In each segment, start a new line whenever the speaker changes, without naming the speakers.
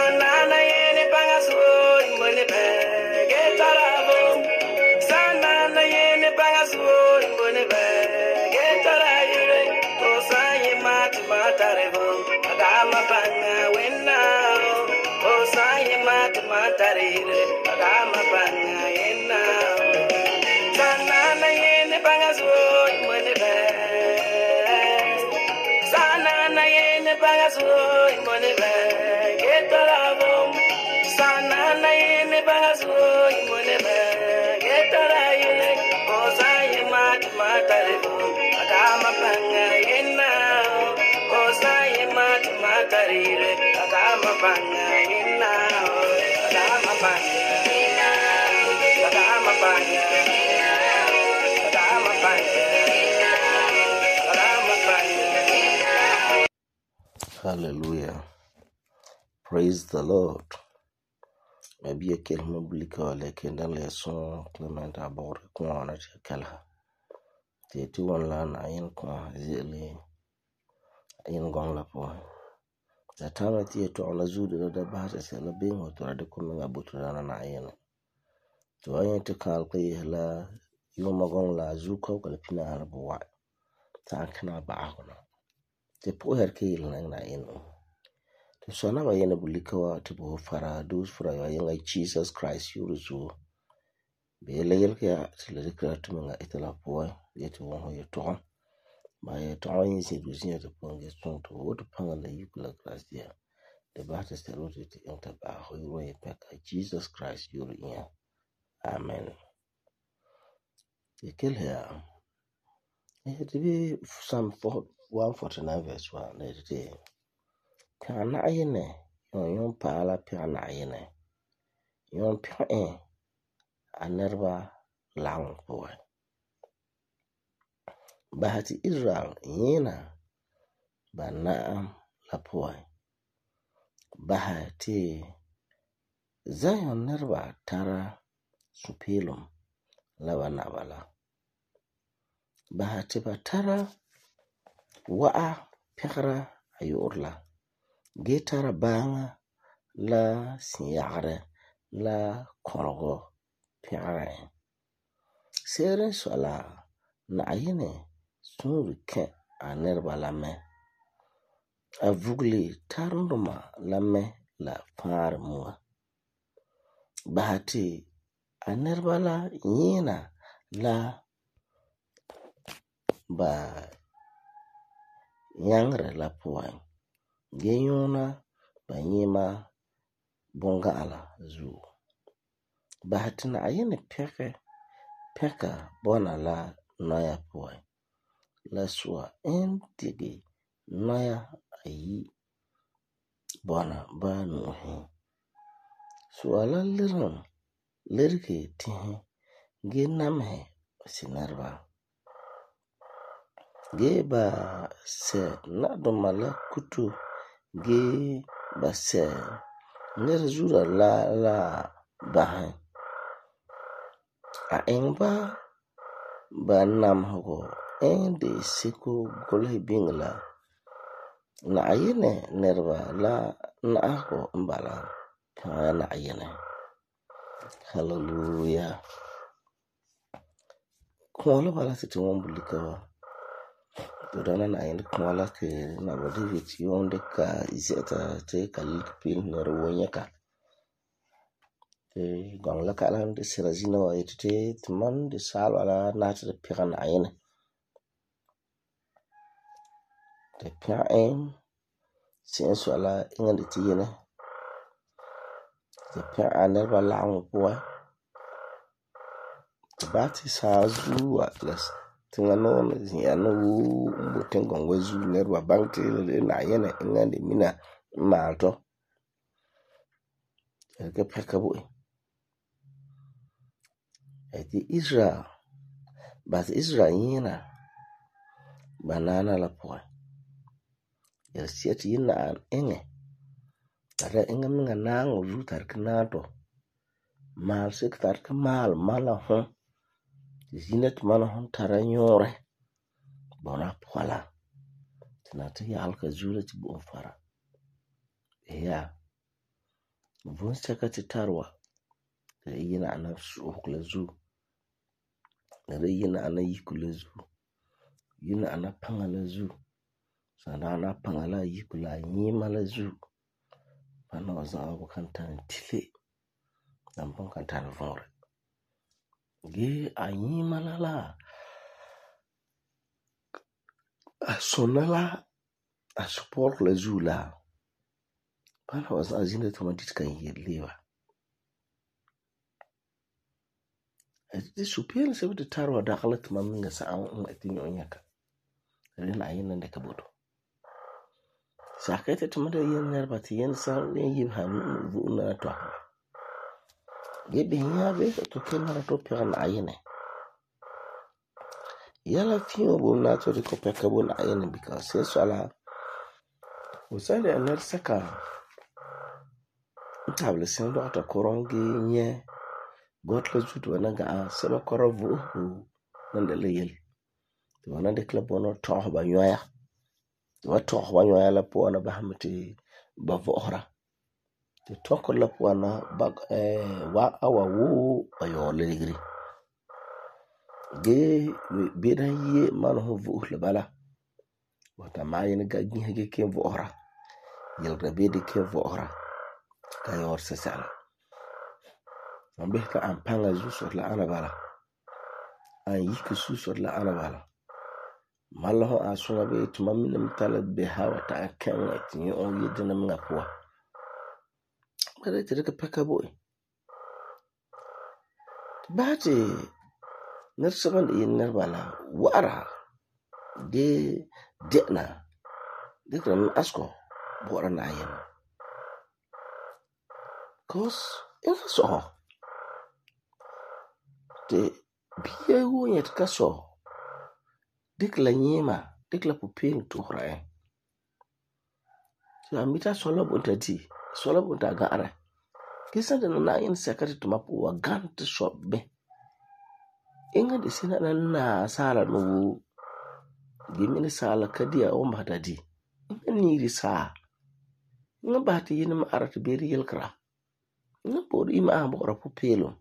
Sanana yene bangasoi mone be getarabo. Sanana yene bangasoi mone be getarayure. Osaye matarebo. Adama banga wenna. Osaye matarire. Adama banga yenna. Sanana yene bangasoi mone be. Sanana yene bangasoi mone be getarabo. Sanana yene bangasoi mone be getarayule. Osaye matarebo. Adama banga yenna. Osaye matarire. Adama banga yenna. Adama banga yenna. Adama banga yenna. Adama banga yenna. Adama banga yenna.
Hallelujah. Praise the Lord. Maybe a kelma blika like in the lesson Clement about a corner to Kalha. The 2 land I in qua zilly in Gonglapo. The time at the to on the zoo the bass is a being or to the coming about to run an iron. To I ain't to calculate la Yomagongla Zuko Galpina Arboy. Tankana Bahona. The poor kill and I know. So now I am bulikawa to bo fara dos for your young Jesus Christ you so be legal care to the creator itala boy get one you talk my tongue is it was near the point get strong to what upon the euclid class there the battle is the road to enter by who way back Jesus Christ you in amen. The kill here it be Psalm 149 verse 1 day can I in yon pala piana yene yon pia anerba lang boy bahati Israel yena banaam la boy bahati Zion nerba tara supilum la banabala bahati batara wa'a pikra ayorla getara banga la siyagre la korgo piare sere sola na ayene sunruke anerba lame avugli tarunduma lame la far mua bahati anerba la yena la ba yangre la puan genyona banyima bonga ala zu bahatina ayene peka bona la noya puan la sua entigi noya ayi bona ba nuhi sua la lirki tihi ge namhe sinarba ge ba se na domala kutu ge ba se nerzura la bahan a engba ba nam hogo de siko golhe bingla na ayene nerba la na ako mbala na ayene. Hallelujah. Kwala bala siti wambulikawa Dodana na ayende kwala ke na bodi viti yonde ka izeta te kalikpil nerwonya ka te gongla ka lan de sirazina wa ite tman de sal wala nata de piran ayene te piran sin so ala inga de tiyene te piran nerba lang boy te bati sa zu atlas tingano ya no botengo ngwezu nerwa bankte na ayene inga de mina malto ke pekabo eti Israel but Israel yina banana la poy ya sieti yina an enge tara inga minga nango zu tarkinato mal sik tarka mal mala hon zinet mala hon tara nyore bona pola tinati halka zura ti bo fara ya Von sɛka te tare wa la yina ana su'uhegɔ la zuo. La yina ana yiku la zuo. Yina ana paŋa la zuo. Sadaana paŋa la yiku la nyima la zuo. Bana wa za'a bu kan tana tile. Dan pon kan tana vɔnre. Ge a nyima la a sonna la a support la zuo la. Bana wa za'a zina tama dit kan leba. Di superior sebe te tare wa dagala tama minga sa'an ati nyaka. Rena ayina ndeka bodo. Sakete tama da yen nerba ti yen san yen yib han vuuna to. Ge binya be to kemara to pera ayine. Yala fiyo bo na to ko peka bo na ayine because se sala usale aner saka table sen do ata korongi nye got la zutu wana ga seba korovu nande le yel. To wana de club wana to ba nyoya. Wa to ba nyoya la po wana ba hamti ba vohra. Te toko la po wana ba wa awa wo ayo le digri. Ge beda ye man ho vu le bala. Wata mayin ga ginhege ke vohra. Yel ga bede ke vohra. Ka yor se sala. Ambehta ampanga zusor la ana bala. An yiku susor la ana bala. Malaho asuna be tuma mina mtala be hawa ta akenga tinye on yedina mga poa. Bada tere ka peka boy. Bate nersaban de yin nerbala wara de dekna dekna asko bora na yin. Cause infa so te biye wo yet ka so dikla nyima dikla pupil to hrae. So amita sola bunta di sola bunta gaare. Kisa de na yin sekati to mapu wa gant shop be. Inga de sina na sala no gimini sala kadia o mbata di. Inga niri saa. Inga bahati yin ma arata beri yelkra. Inga bodu ima ambora pupilo.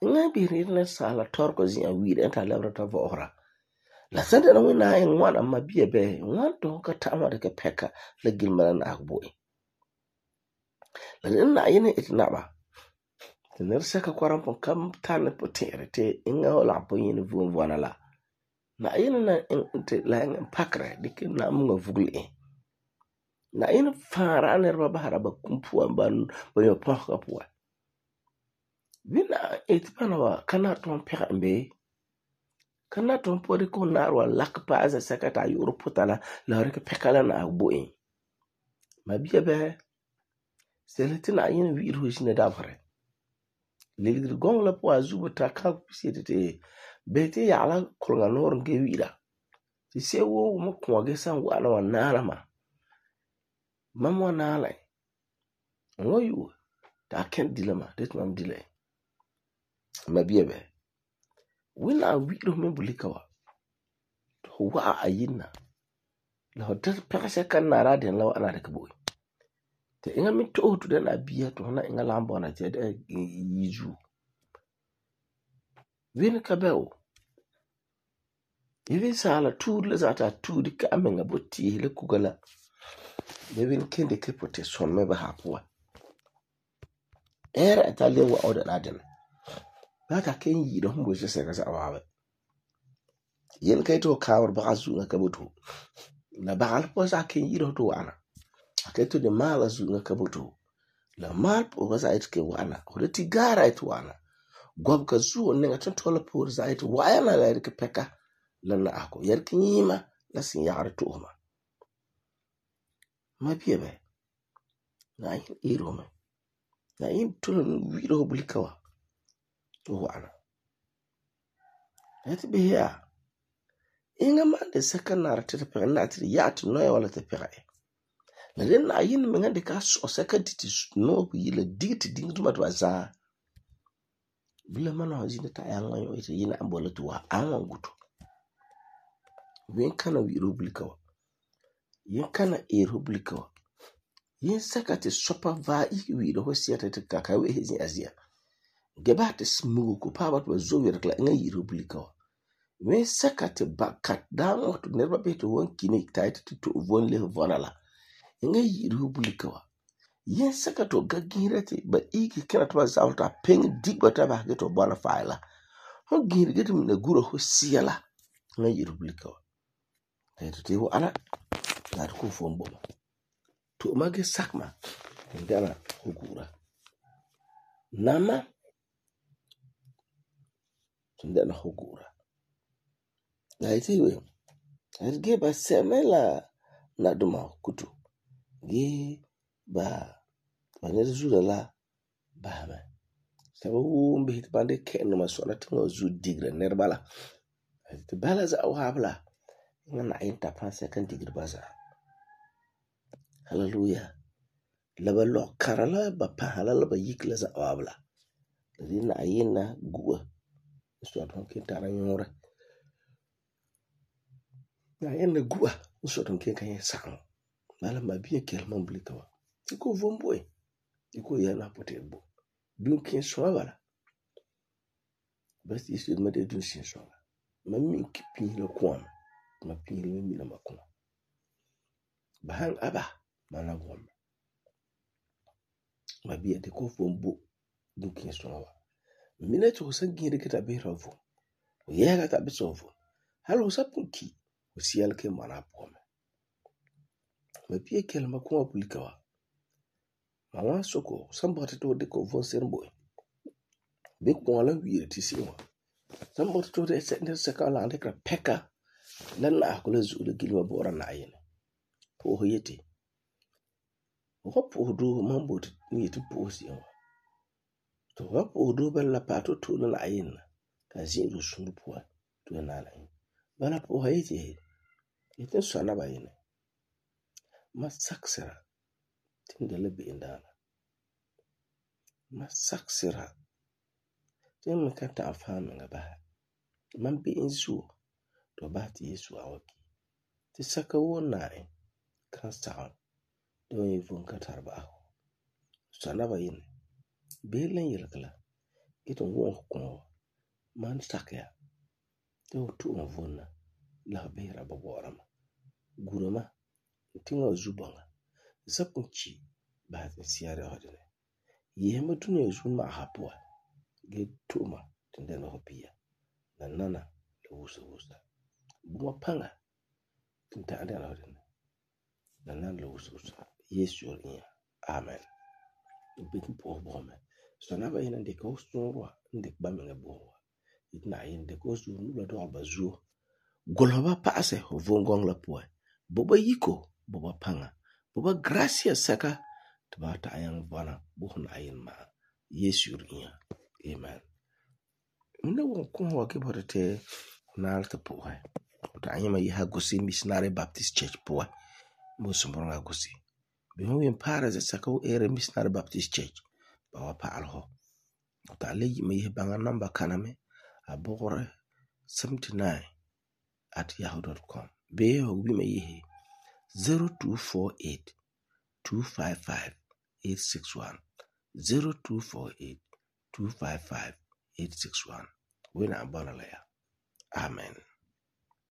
Inga biri na sala torko zin wiri enta lebrata vohra. La sende na wina yin wana mabiye be wan to ka tama de ka peka la gilmana na akboi. La nina yin itnaba. Tener seka kwarampon kam tane po tere te inga o lampo yin vuana la. Na yin na inte la yin pakre dike na mga vugli. Na yin fara nerba bahara ba kumpua ban yo pohka puwa. Wina itpana wa kana ton peka mbe. Kana ton po de ko narwa lakpa aza sekata yoro putala la reke peka la na akboi. Mabiya be seletina yin wiru jine dabare. Ligri gong la po azuba ta ka pisete te bete ya ala kolga nor nge wira ti se wo mo ko ge san wa na nala ma mamwa nala ngo yu ta ken dilema det mam dile mabiye be wina wiro me bulika wa to wa ayina la hotel pese kan na radin la ana de kabo te inga mi to den abia to na inga lambo na te de yiju win kabel even sala tu le zata tu di ka amenga botti le kugala le win kende ke pote son me ba hapwa era etale wa order laden baka ken yi do mbo se ka sa wawe yen kay to kawr ba azu na kabutu la baal po sa ken yi do to ana aketo de mala zu na kabutu la mal po ba sa it ke wana ko de tigara it wana gob ka zu ne ngaton tola po za it wa yana la ke peka lana ako yarki nyima la sin yaare tuuma ma biebe na yin iroma na yin tulun wiro bulikawa to wana ati be ya inga mande sakanar te pe na ti ya to no ya wala te pe la den na yin me ngade ka so sakati no bu yile digiti dingu ma to za bile mana hazina ta yanga yo ite yina ambola to wa anwa gutu wen kana wiro bulikawa yin kana ero bulikawa yin saka te sopa va iki wi'ira ho siyata te ka wehe zia geba te smugu ko paaba to zo wer kla nga yiri bulika wa wen saka te bakat dan to nerba be to won kini tait to von le vona la nga yiri bulika wa yin saka to gagira te ba iki kana to zawta peng digba ta ba to bona faila ho giri get na gura ho siyala nga yiri bulika wa te ho ana na ko fombo to mage sakma ndana hukura nama ndana hukura naitiwe erge ba semela na duma kutu ge ba banere zura la ba ma sabo mbe hit bande ken ma so na tinga zu digre nerbala te bala za wabla ngana inta panse kan digre baza hallelujah laba lo karala ba pahala la ba yikla za wabla dina ayina guwa so don kin tara nyora na ayina guwa so don kin kan sang mala ma biye kelman blikawa iko vomboy iko yana potembo dun kin so wala bas isu ma de dun sin so ma min kipin le kwam ma pin le mi na makuma bahan aba mana gom ma biye de ko vombo dun kin so wala mina to san gire kita be ravu o yaga ta be sovo halo sapunki o sial ke mana pome ma biye kelma kuma bulikawa mama soko sambata to de ko von serbo be ko la wiire ti siwa sambata to de se ka la de ka peka lan na ko la zulu gilwa bora na yene po ho yeti o po do mambo ni ti po siwa to wa po do bella pato to la yene ka zin ru sunu po to na la yene bana po ha yeti yete so na ba yene ma saksera tindele be indana ma saksera tin ka ta fami nga ba man be insu to ba ti yesu awaki ti saka wona kan sa do yi fun ka tarba sana ba yin be len yelkala ito won ko man sakya to tu on vonna la be ra ba borama gurama tinga zubanga zapunchi ba ta siyare hodene yema tunu yesu ma hapwa ge tuma tindana hopia na nana le wusa buma panga tinta andana hodene na nana le wusa yesu nya amen bitin po bome so na ba ina de ko sunwa inde ba me bo itna yin de ko su nu la do ba zu goloba paase ho vongong la po boba yiko boba panga boba gracia saka tba ta yang bana buhun ayin ma yesu nya amen mna won ko wa ke bote na alta po ta anyima yi ha gosi missionary baptist church po mo sumbonga gosi be ho yin para za saka o ere missionary baptist church ba wa pa alho ta le yi me banga number kaname abore 79@yahoo.com be ho bi me yi 0248 255 861 0248 255 861 wena abana la ya amen.